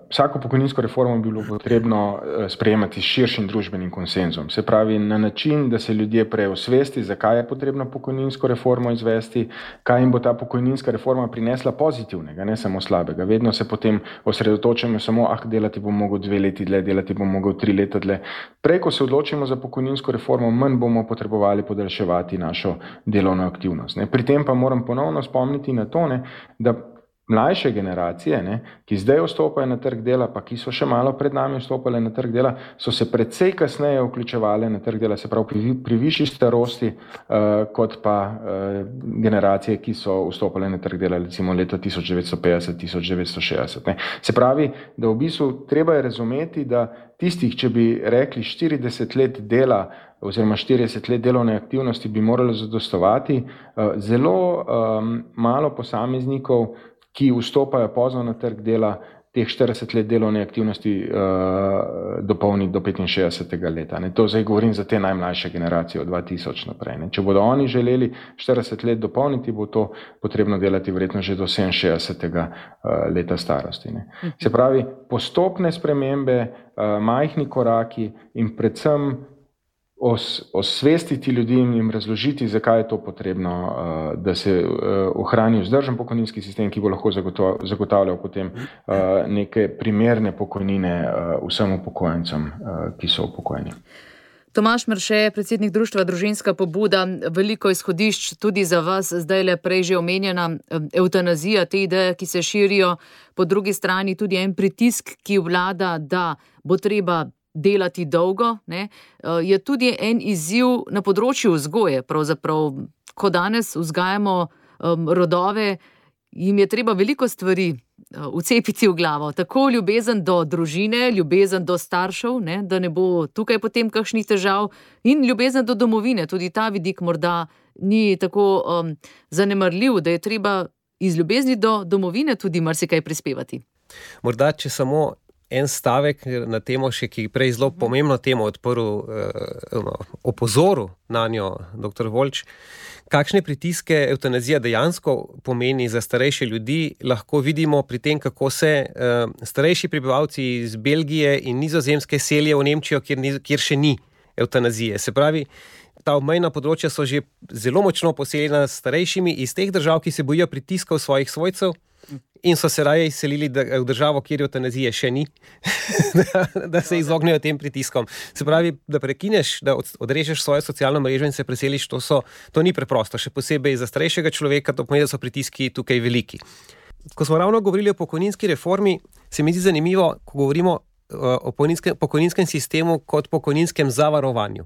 vsako pokojninsko reformo bi bilo potrebno sprejemati s širšim družbenim konsenzom. Se pravi, na način, da se ljudje prej osvesti, zakaj je potrebno pokojninsko reformo izvesti, kaj jim bo ta pokojninska reforma prinesla pozitivnega, ne samo slabega. Vedno se potem osredotočamo samo, delati bom mogel 2 leti dlje, delati bom mogel 3 leta dlje. Prej, ko se odločimo za pokojninsko reformo, manj bomo potrebovali podaljševati našo delovno aktivnost. Pri tem pa moram ponovno spomniti na to, da mlajše generacije, ki zdaj vstopajo na trg dela, pa ki so še malo pred nami vstopale na trg dela, so se precej kasneje vključevale na trg dela, se pravi pri višji starosti, kot pa generacije, ki so vstopale na trg dela recimo leta 1950-1960. Se pravi, da v bistvu treba je razumeti, da tistih, če bi rekli 40 let dela oziroma 40 let delovne aktivnosti bi moralo zadostovati, zelo malo posameznikov, ki vstopajo pozno na trg dela, teh 40 let delovne aktivnosti dopolni do 65. leta. To zdaj govorim za te najmlajše generacije od 2000 naprej. Če bodo oni želeli 40 let dopolniti, bo to potrebno delati verjetno že do 67. leta starosti. Se pravi, postopne spremembe, majhni koraki in predvsem osvestiti ljudi in jim razložiti, zakaj je to potrebno, da se ohrani vzdržen pokojninski sistem, ki bo lahko zagotavljal potem neke primerne pokojnine vsem upokojencem, ki so upokojeni. Tomaž Mrše, predsednik društva Družinska pobuda, veliko izhodišč tudi za vas, zdaj le prej že omenjena evtanazija, te ideje, ki se širijo, po drugi strani tudi en pritisk, ki vlada, da bo treba delati dolgo, je tudi en izziv na področju vzgoje. Pravzaprav, ko danes vzgajamo rodove, jim je treba veliko stvari vcepiti v glavo. Tako ljubezen do družine, ljubezen do staršev, da ne bo tukaj potem kakšnih težav, in ljubezen do domovine. Tudi ta vidik morda ni tako zanemarljiv, da je treba iz ljubezni do domovine tudi marsikaj prispevati. Morda, če samo en stavek na temo še, ki prej zelo pomembno temo odprl, opozoril na njo dr. Voljč. Kakšne pritiske evtanazija dejansko pomeni za starejše ljudi, lahko vidimo pri tem, kako se starejši prebivalci iz Belgije in Nizozemske selijo v Nemčijo, kjer še ni evtanazije. Se pravi, ta obmejna področja so že zelo močno poseljena s starejšimi iz teh držav, ki se bojijo pritiskov svojih svojcev, in so se raje izselili v državo, kjer eutanazije še ni, da se izognejo tem pritiskom. Se pravi, da prekineš, da odrežeš svojo socialno mrežo in se preseliš, to ni preprosto. Še posebej za starejšega človeka, to pomeni, da so pritiski tukaj veliki. Ko smo ravno govorili o pokojninski reformi, se mi zdi zanimivo, ko govorimo o pokojninskem sistemu kot pokojninskem zavarovanju.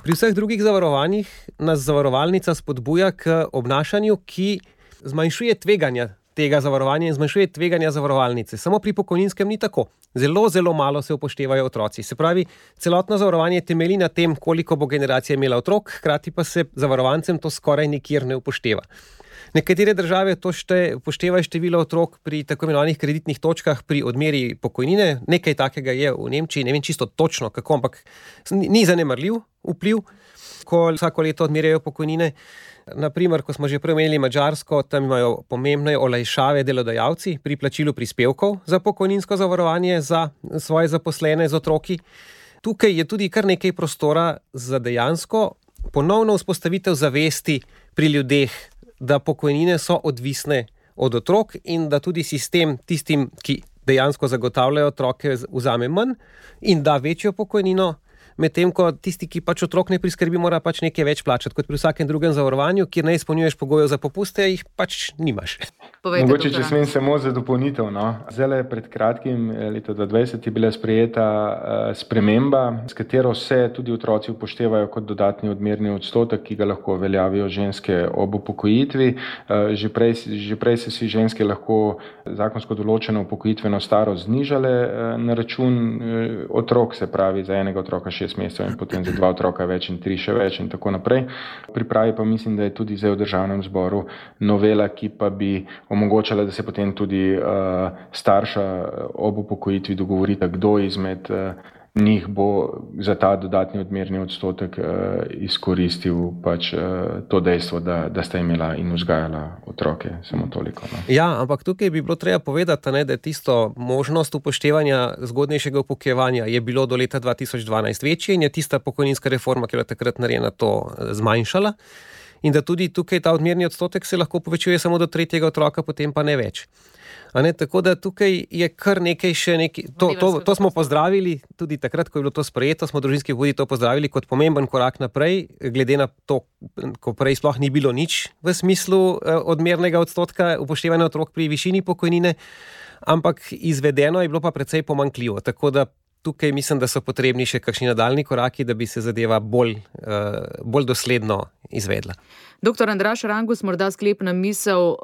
Pri vseh drugih zavarovanjih nas zavarovalnica spodbuja k obnašanju, ki zmanjšuje tveganja tega zavarovanja in zmanjšuje tveganja zavarovalnice. Samo pri pokojninskem ni tako. Zelo, zelo malo se upoštevajo otroci. Se pravi, celotno zavarovanje temelji na tem, koliko bo generacija imela otrok, hkrati pa se zavarovancem to skoraj nikjer ne upošteva. Nekatere države to upoštevajo število otrok pri tako imenovanih kreditnih točkah pri odmeri pokojnine. Nekaj takega je v Nemčiji, ne vem čisto točno kako, ampak ni zanemarljiv vpliv, ko vsako leto odmerjajo pokojnine. Naprimer, ko smo že prej omenili Madžarsko, tam imajo pomembne olajšave delodajalci pri plačilu prispevkov za pokojninsko zavarovanje za svoje zaposlene z otroki. Tukaj je tudi kar nekaj prostora za dejansko ponovno vzpostavitev zavesti pri ljudeh, da pokojnine so odvisne od otrok in da tudi sistem tistim, ki dejansko zagotavljajo otroke, vzame manj in da večjo pokojnino, medtem ko tisti, ki pač otrok ne priskrbi, mora pač nekaj več plačati, kot pri vsakem drugem zavarovanju, kjer ne izpolnjuješ pogojev za popuste, jih pač nimaš. Mogoče, če smem samo za dopolnitev. Zdaj pred kratkim, leta 2020, je bila sprejeta sprememba, s katero se tudi otroci upoštevajo kot dodatni odmerni odstotek, ki ga lahko veljavijo ženske ob upokojitvi. Že prej se si ženske lahko zakonsko določeno upokojitveno starost znižale na račun otrok, se pravi za enega otroka 6 mesecev in potem za 2 otroka več in 3 še več in tako naprej. Pripravi pa mislim, da je tudi zdaj v Državnem zboru novela, ki pa bi omogočala, da se potem tudi starša ob upokojitvi dogovorita, kdo izmed njih bo za ta dodatni odmerni odstotek izkoristil pač to dejstvo, da sta imela in vzgajala otroke, samo toliko. No. Ja, ampak tukaj bi bilo treba povedati, ne, da je tisto možnost upoštevanja zgodnejšega upokojevanja je bilo do leta 2012 večje in je tista pokojninska reforma, ki je bila takrat narejena, to zmanjšala. In da tudi tukaj ta odmerni odstotek se lahko povečuje samo do 3. otroka, potem pa ne več. Tako da tukaj je kar nekaj še nekaj. To smo pozdravili tudi takrat, ko je bilo to sprejeto, smo družinski pobudi to pozdravili kot pomemben korak naprej, glede na to, ko prej sploh ni bilo nič v smislu odmernega odstotka upoštevanja otrok pri višini pokojnine, ampak izvedeno je bilo pa precej pomanjkljivo. Tako da tukaj mislim, da so potrebni še kakšni nadaljni koraki, da bi se zadeva bolj dosledno izvedla. Doktor Andraž Rangus, morda sklepna misel.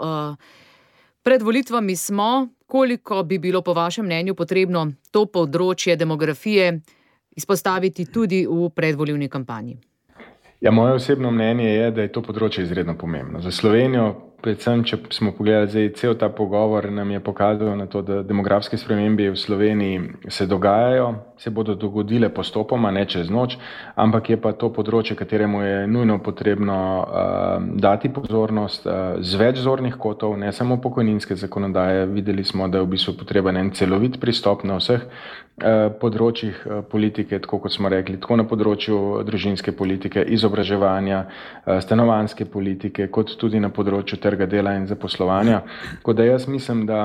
Pred volitvami smo, koliko bi bilo po vašem mnenju potrebno to področje demografije izpostaviti tudi v predvolilni kampanji? Ja, moje osebno mnenje je, da je to področje izredno pomembno. Za Slovenijo, predvsem, če smo pogledali zdaj cel ta pogovor, nam je pokazal na to, da demografske spremembe v Sloveniji se dogajajo, se bodo dogodile postopoma, ne čez noč, ampak je pa to področje, kateremu je nujno potrebno dati pozornost z več zornih kotov, ne samo pokojninske zakonodaje. Videli smo, da je v bistvu potreben en celovit pristop na vseh področjih politike, tako kot smo rekli, tako na področju družinske politike, izobraževanja, stanovanjske politike, kot tudi na področju trga dela in zaposlovanja. Tako da jaz mislim, da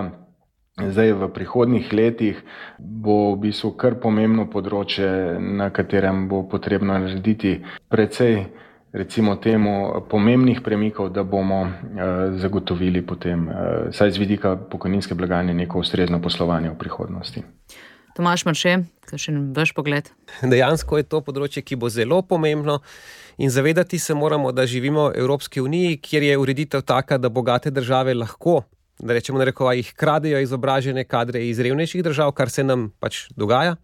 zdaj v prihodnjih letih bo v bistvu kar pomembno področje, na katerem bo potrebno narediti precej, recimo temu, pomembnih premikov, da bomo zagotovili potem, saj z vidika pokojninske blagajne, neko ustrezno poslovanje v prihodnosti. Tomaž Marše, kakšen vaš pogled? Dejansko je to področje, ki bo zelo pomembno in zavedati se moramo, da živimo v Evropski uniji, kjer je ureditev taka, da bogate države lahko, da rečemo narekovajih, kradejo izobražene kadre iz revnejših držav, kar se nam pač dogaja,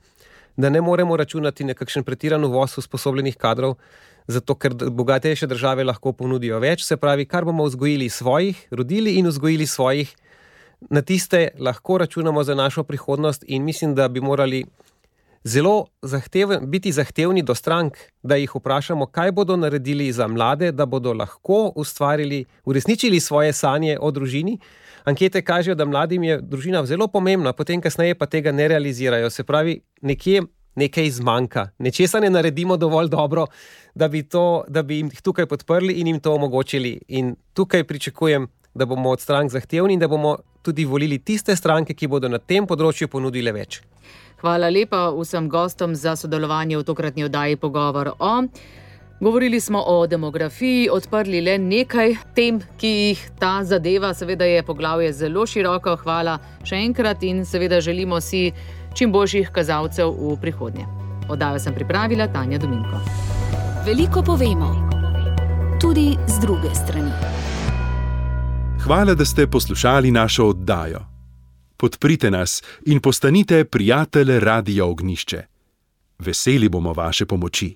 da ne moremo računati na kakšen pretiran uvoz usposobljenih kadrov, zato ker bogatejše države lahko ponudijo več, se pravi, kar bomo vzgojili svojih, rodili in vzgojili svojih, na tiste lahko računamo za našo prihodnost in mislim, da bi morali zelo biti zahtevni do strank, da jih vprašamo, kaj bodo naredili za mlade, da bodo lahko uresničili svoje sanje o družini. Ankete kažejo, da mladim je družina zelo pomembna, potem kasneje pa tega ne realizirajo. Se pravi, nekaj zmanjka. Nečesa ne naredimo dovolj dobro, da bi jim tukaj podprli in jim to omogočili. In tukaj pričakujem, da bomo od strank zahtevni in da bomo tudi volili tiste stranke, ki bodo na tem področju ponudile več. Hvala lepa vsem gostom za sodelovanje v tokratni oddaji Pogovor o. Govorili smo o demografiji, odprli le nekaj tem, ki jih ta zadeva. Seveda je poglavje zelo široko. Hvala še enkrat in seveda želimo si čim boljših kazalcev v prihodnje. Oddajo sem pripravila Tanja Dominko. Veliko povemo, tudi z druge strani. Hvala, da ste poslušali našo oddajo. Podprite nas in postanite prijatelj Radia Ognjišče. Veseli bomo vaše pomoči.